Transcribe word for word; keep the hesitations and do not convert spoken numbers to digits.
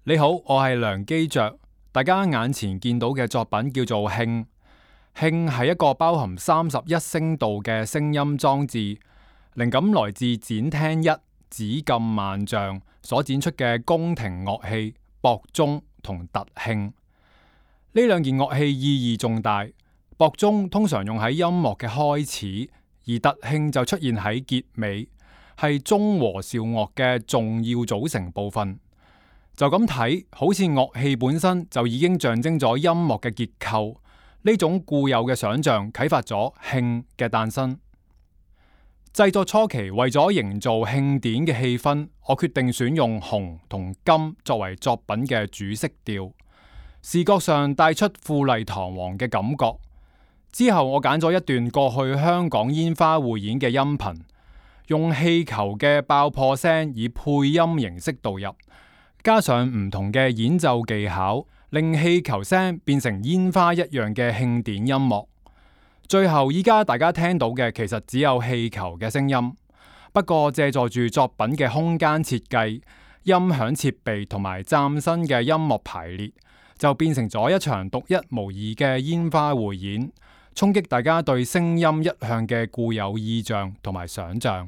你好，我係梁基爵。大家眼前見到嘅作品叫做磬。磬係一個包含三十一聲道嘅聲音裝置，靈感來自展廳一紫禁萬象所展出嘅宮廷樂器鉑鐘同特磬。呢兩件樂器意義重大，鉑鐘通常用喺音樂嘅開始，而特磬就出現喺結尾，係中和韶樂嘅重要組成部分。就咁睇，好似樂器本身就已經象徵咗音樂嘅結構。呢種固有嘅想象啟發咗磬嘅誕生。製作初期為咗營造慶典嘅氣氛，我決定選用紅同金作為作品嘅主色調，視覺上帶出富麗堂皇嘅感覺。之後我揀咗一段過去香港煙花匯演嘅音頻，用氣球嘅爆破聲以配音形式導入，加上唔同嘅演奏技巧，令氣球聲變成煙花一樣嘅慶典音樂。最後依家大家聽到嘅其實只有氣球嘅聲音，不過借助住作品嘅空間設計、音響設備同埋嶄新嘅音樂排列，就變成咗一場獨一無二嘅煙花匯演，衝擊大家對聲音一向嘅固有意象同埋想象。